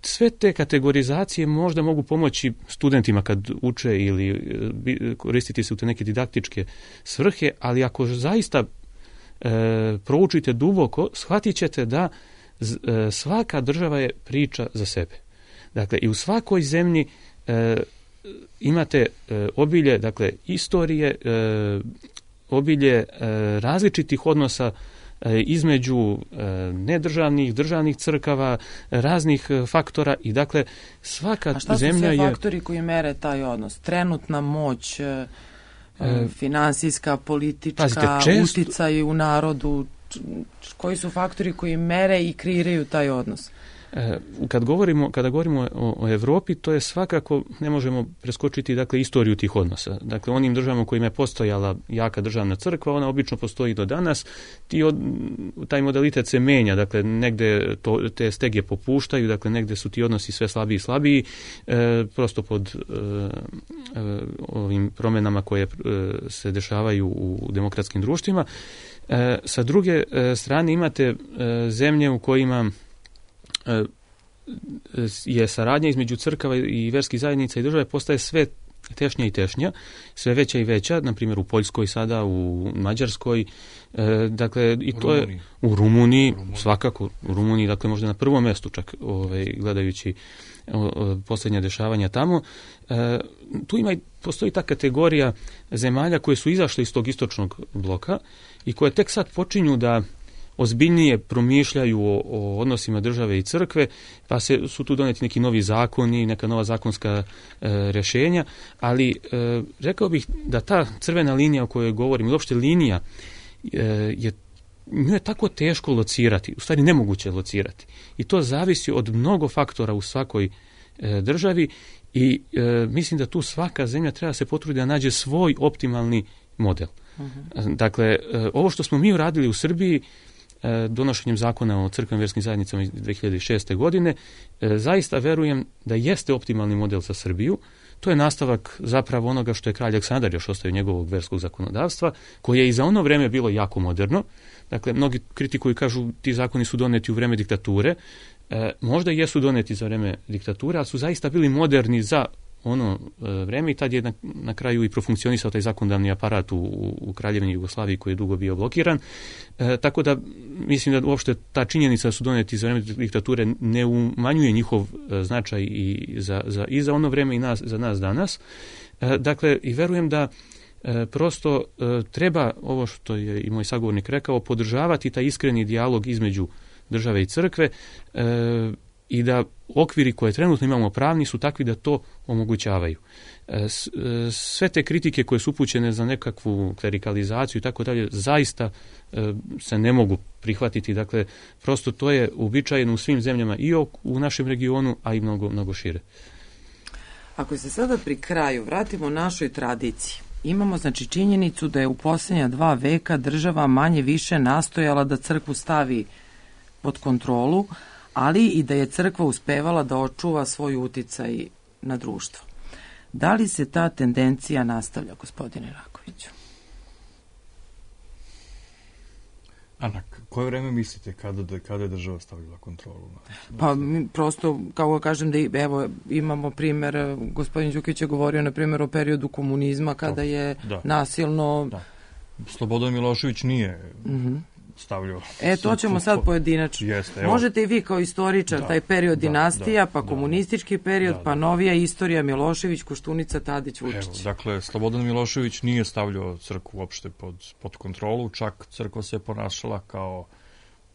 Speaker 4: Sve te kategorizacije možda mogu pomoći studentima kad uče ili koristiti se u te neke didaktičke svrhe, ali ako zaista proučite duboko, shvatit ćete da svaka država je priča za sebe. Dakle, i u svakoj zemlji imate obilje, dakle, istorije, obilje različitih odnosa između nedržavnih, državnih crkava, raznih faktora i dakle svaka zemlja je...
Speaker 3: A šta su sve faktori koji mere taj odnos? Trenutna moć, finansijska, politička,
Speaker 4: pazite,
Speaker 3: uticaj u narodu, koji su faktori koji mere i kreiraju taj odnos?
Speaker 4: Kada govorimo o Evropi, to je svakako, ne možemo preskočiti dakle istoriju tih odnosa. Dakle, onim državama u kojima je postojala jaka državna crkva, ona obično postoji do danas. Taj modalitet se menja, dakle, negde te stege popuštaju, dakle, negde su ti odnosi sve slabiji i slabiji, prosto pod ovim promjenama koje se dešavaju u demokratskim društvima. Sa druge strane imate zemlje u kojima je saradnja između crkava i verskih zajednica i države postaje sve tešnja i tešnja, sve veća i veća, na primjer u Poljskoj sada, u Mađarskoj, dakle i to je u Rumuniji, svakako u Rumuniji, dakle možda na prvom mjestu čak gledajući posljednja dešavanja tamo. Tu postoji ta kategorija zemalja koje su izašle iz tog istočnog bloka i koje tek sad počinju da ozbiljnije promišljaju o odnosima države i crkve, pa su tu doneti neki novi zakoni, neka nova zakonska rješenja, ali rekao bih da ta crvena linija o kojoj govorim, uopšte linija, nju je tako teško locirati, u stvari nemoguće locirati. I to zavisi od mnogo faktora u svakoj državi i mislim da tu svaka zemlja treba se potruditi da nađe svoj optimalni model. Dakle, ovo što smo mi uradili u Srbiji, donošenjem zakona o crkvenim vjerskim zajednicama iz 2006. godine, zaista verujem da jeste optimalni model za Srbiju. To je nastavak zapravo onoga što je kralj Aleksandar još ostavio njegovog verskog zakonodavstva, koje je i za ono vreme bilo jako moderno. Dakle, mnogi kritikuju i kažu ti zakoni su doneti u vreme diktature. Možda jesu doneti za vreme diktature, ali su zaista bili moderni za ono vreme i tad je na kraju i profunkcionisao taj zakonodavni aparat u Kraljevini Jugoslaviji koji je dugo bio blokiran. Tako da mislim da uopšte ta činjenica da su doneti za vreme diktature ne umanjuje njihov značaj i za ono vreme i za nas danas. Dakle, i verujem da prosto treba, ovo što je i moj sagovornik rekao, podržavati taj iskreni dijalog između države i crkve i da okviri koje trenutno imamo pravni su takvi da to omogućavaju. Sve te kritike koje su upućene za nekakvu klerikalizaciju i tako dalje, zaista se ne mogu prihvatiti. Dakle, prosto to je uobičajeno u svim zemljama i u našem regionu, a i mnogo, mnogo šire.
Speaker 3: Ako se sada pri kraju vratimo našoj tradiciji, imamo znači činjenicu da je u posljednja 2 veka država manje više nastojala da crkvu stavi pod kontrolu, ali i da je crkva uspevala da očuva svoj uticaj na društvo. Da li se ta tendencija nastavlja, gospodine Rakoviću?
Speaker 5: A koje vreme mislite kada je država stavila kontrolu?
Speaker 3: Pa prosto, kao kažem, da evo imamo primjer, gospodin Đukić je govorio na primjer o periodu komunizma kada je nasilno...
Speaker 5: Da. Slobodan Milošević nije... stavljao.
Speaker 3: To ćemo sad pojedinačno. Možete i vi kao istoričar taj period dinastija, pa komunistički period, pa novija istorija Milošević, Koštunica, Tadić, Vučić.
Speaker 5: Dakle, Slobodan Milošević nije stavljao crkvu uopšte pod kontrolu, čak crkva se ponašala kao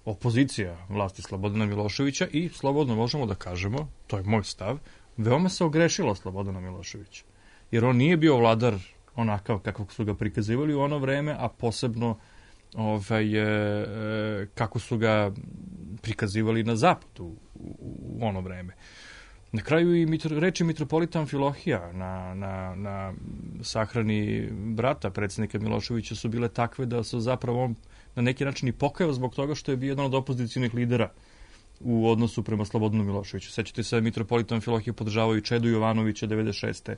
Speaker 5: opozicija vlasti Slobodana Miloševića i slobodno možemo da kažemo, to je moj stav, veoma se ogrešilo Slobodana Miloševića. Jer on nije bio vladar onakav kakvog su ga prikazivali u ono vreme, a posebno kako su ga prikazivali na zapadu u ono vreme. Na kraju i reči mitropolita Amfilohija na sahrani brata predsjednika Miloševića su bile takve da su zapravo on na neki način i pokajao zbog toga što je bio jedan od opozicionih lidera u odnosu prema Slobodanu Miloševiću. Sećate se, mitropolita Amfilohija podržavao i Čedu Jovanovića 96.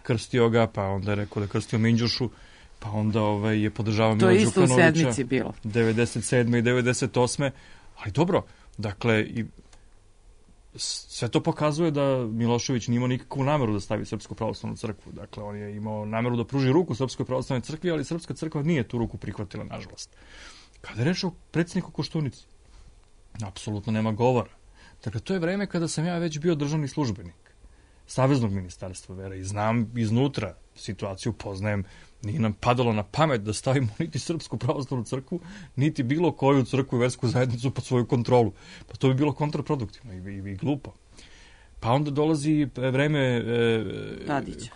Speaker 5: Krstio ga, pa onda je rekao da krstio Minđušu, pa onda je podržavao Milo Đukanovića.
Speaker 3: To je isto u sedmici bilo.
Speaker 5: 97. i 98. Ali dobro, dakle, sve to pokazuje da Milošević nije imao nikakvu nameru da stavi Srpsku pravoslavnu crkvu. Dakle, on je imao nameru da pruži ruku Srpskoj pravoslavnoj crkvi, ali Srpska crkva nije tu ruku prihvatila, nažalost. Kada je reč o predsjedniku Koštunici, apsolutno nema govora. Dakle, to je vreme kada sam ja već bio državni službenik Saveznog ministarstva vere i znam iznutra situaciju, poznajem, nije nam padalo na pamet da stavimo niti Srpsku pravoslavnu crkvu, niti bilo koju crkvu i versku zajednicu pod svoju kontrolu. Pa to bi bilo kontraproduktivno i glupo. Pa onda dolazi vreme
Speaker 3: Tadića.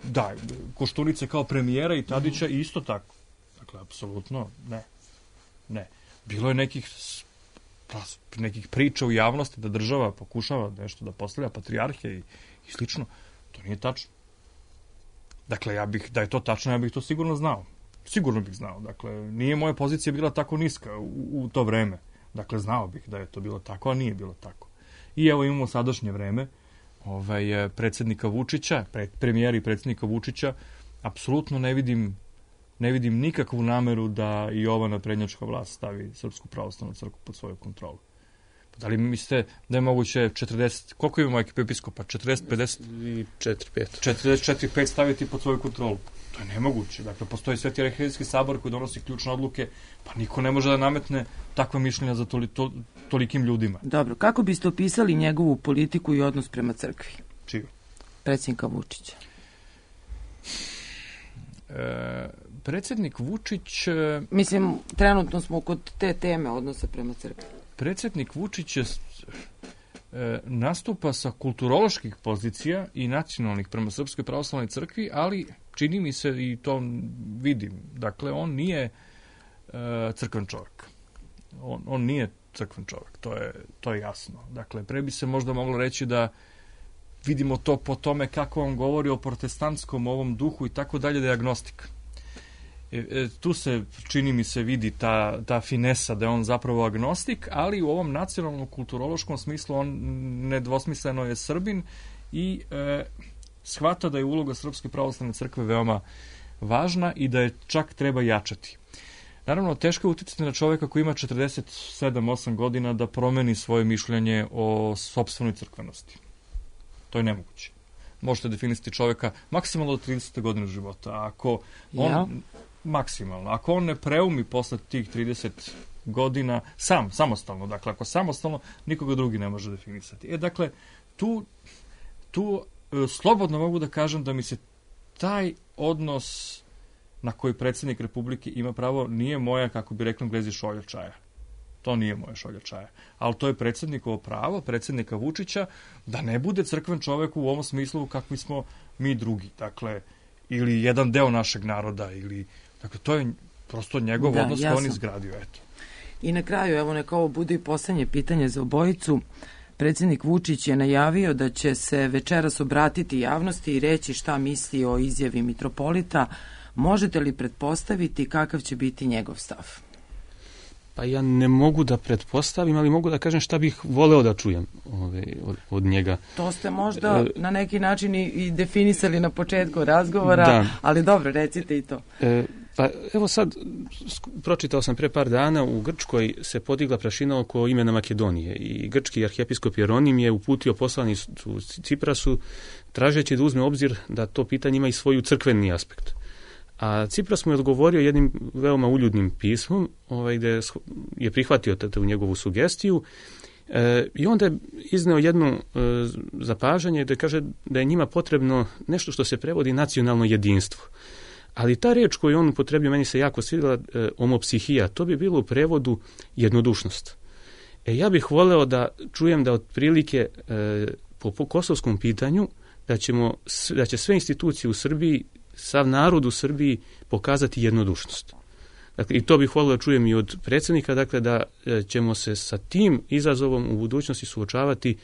Speaker 5: Da, Koštunice kao premijera i Tadića i isto tako. Dakle, apsolutno ne. Bilo je nekih priča u javnosti da država pokušava nešto da postavlja patrijarhe i slično. To nije tačno. Dakle, da je to tačno, ja bih to sigurno znao. Sigurno bih znao. Dakle, nije moja pozicija bila tako niska u to vreme. Dakle, znao bih da je to bilo tako, a nije bilo tako. I evo imamo sadašnje vreme predsjednika Vučića, premijera i predsjednika Vučića. Apsolutno ne vidim nikakvu nameru da i ova naprednjačka vlast stavi Srpsku pravoslavnu crkvu pod svoju kontrolu. Da li mislite da je moguće 40, koliko imamo episkopa? 40, 50? 44-5 staviti pod svoju kontrolu. To je nemoguće. Dakle, postoji Sveti arhijerejski sabor koji donosi ključne odluke, pa niko ne može da nametne takva mišljenja za tolikim ljudima.
Speaker 3: Dobro, kako biste opisali njegovu politiku i odnos prema crkvi?
Speaker 5: Čiju?
Speaker 3: Predsjednika Vučića.
Speaker 5: Predsjednik Vučić...
Speaker 3: Mislim, trenutno smo kod te teme odnosa prema crkvi.
Speaker 5: Predsjednik Vučić nastupa sa kulturoloških pozicija i nacionalnih prema Srpskoj pravoslavnoj crkvi, ali čini mi se i to vidim. Dakle, on nije crkven čovjek. On nije crkven čovjek, to je jasno. Dakle, pre bi se možda moglo reći da vidimo to po tome kako on govori o protestantskom ovom duhu i tako dalje, da je agnostik. Tu se, čini mi se, vidi ta finesa da je on zapravo agnostik, ali u ovom nacionalnom kulturološkom smislu on nedvosmisleno je Srbin i shvata da je uloga Srpske pravoslavne crkve veoma važna i da je čak treba jačati. Naravno, teško je uticati na čovjeka koji ima 47-8 godina da promeni svoje mišljenje o sopstvenoj crkvenosti. To je nemoguće. Možete definisati čovjeka maksimalno do 30. godine života. Ako on, maksimalno. Ako on ne preumi posle tih 30 godina samostalno, dakle, ako samostalno, nikoga drugi ne može definisati. Dakle, tu slobodno mogu da kažem da mi se taj odnos na koji predsjednik Republike ima pravo nije moja, kako bi rekli Englezi, šolja čaja. To nije moja šolja čaja. Ali to je predsjednikovo pravo, predsjednika Vučića, da ne bude crkven čovjek u ovom smislu kakvi smo mi drugi. Dakle, ili jedan deo našeg naroda, dakle, to je prosto njegov odnos koji on izgradio. Eto.
Speaker 3: I na kraju, evo neka ovo bude i poslednje pitanje za obojicu. Predsjednik Vučić je najavio da će se večeras obratiti javnosti i reći šta misli o izjavi mitropolita. Možete li pretpostaviti kakav će biti njegov stav?
Speaker 4: Pa ja ne mogu da pretpostavim, ali mogu da kažem šta bih voleo da čujem od njega.
Speaker 3: To ste možda na neki način i definisali na početku razgovora, da. Ali dobro, recite i to.
Speaker 4: Pa evo sad, pročitao sam pre par dana, u Grčkoj se podigla prašina oko imena Makedonije i grčki arhijepiskop Jeronim je uputio poslanicu Ciprasu tražeći da uzme obzir da to pitanje ima i svoju crkveni aspekt. A Cipras mu je odgovorio jednim veoma uljudnim pismom, gde je prihvatio u njegovu sugestiju i onda je izneo jedno zapažanje gde kaže da je njima potrebno nešto što se prevodi nacionalno jedinstvo. Ali ta reč koju on upotrebio, meni se jako svidjela, homopsihija, to bi bilo u prevodu jednodušnost. Ja bih voleo da čujem da otprilike po kosovskom pitanju da će sve institucije u Srbiji, sav narod u Srbiji pokazati jednodušnost. Dakle, i to bih volio da čujem i od predsjednika, dakle, da ćemo se sa tim izazovom u budućnosti suočavati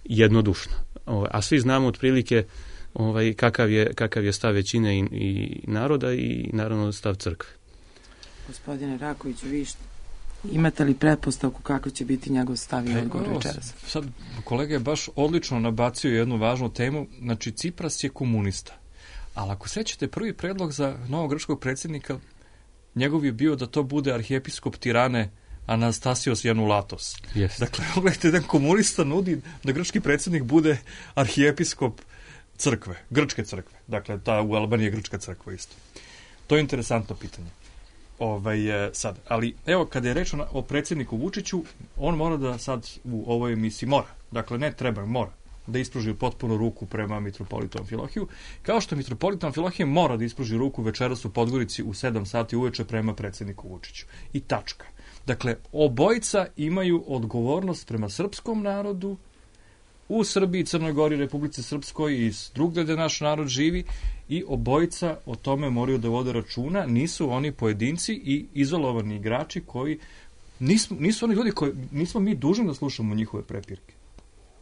Speaker 4: jednodušno. A svi znamo otprilike kakav je stav većine i naroda i naravno stav crkve.
Speaker 3: Gospodine Rakoviću, vi imate li pretpostavku kako će biti njegov stav i odgovor večeras?
Speaker 5: Sad, kolega je baš odlično nabacio jednu važnu temu. Znači, Cipras je komunista. Ali ako sećate, prvi predlog za novog grčkog predsjednika, njegov je bio da to bude arhijepiskop Tirane Anastasios Janulatos.
Speaker 4: Yes.
Speaker 5: Dakle, gledajte, jedan komunista nudi da grčki predsjednik bude arhijepiskop crkve, grčke crkve. Dakle, u Albaniji je grčka crkva isto. To je interesantno pitanje. Sad, ali evo, kada je reč o predsjedniku Vučiću, on mora da sad u ovoj emisiji mora da ispruži potpuno ruku prema mitropolitu Amfilohiju, kao što mitropolit Amfilohije mora da ispruži ruku večeras u Podgorici u 7 sati uveče prema predsjedniku Vučiću. I tačka. Dakle, obojica imaju odgovornost prema srpskom narodu u Srbiji, Crnoj Gori, Republici Srpskoj i drugde gde naš narod živi i obojica o tome moraju da vode računa. Nisu oni pojedinci i izolovani igrači koji nisu oni ljudi koji nismo mi dužni da slušamo njihove prepirke.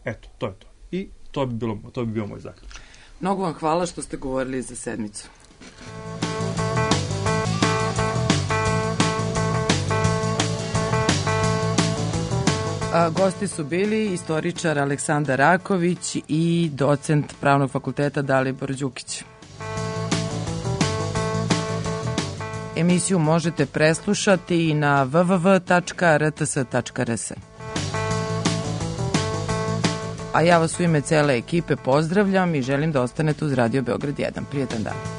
Speaker 5: Eto, to je to. I to bi bio moj zaključak.
Speaker 3: Mnogo vam hvala što ste govorili za sedmicu. Gosti su bili istoričar Aleksandar Raković i docent Pravnog fakulteta Dalibor Đukić. Emisiju možete preslušati i na www.rts.rs. A ja vas u ime cele ekipe pozdravljam i želim da ostanete uz Radio Beograd 1. Prijetan dan.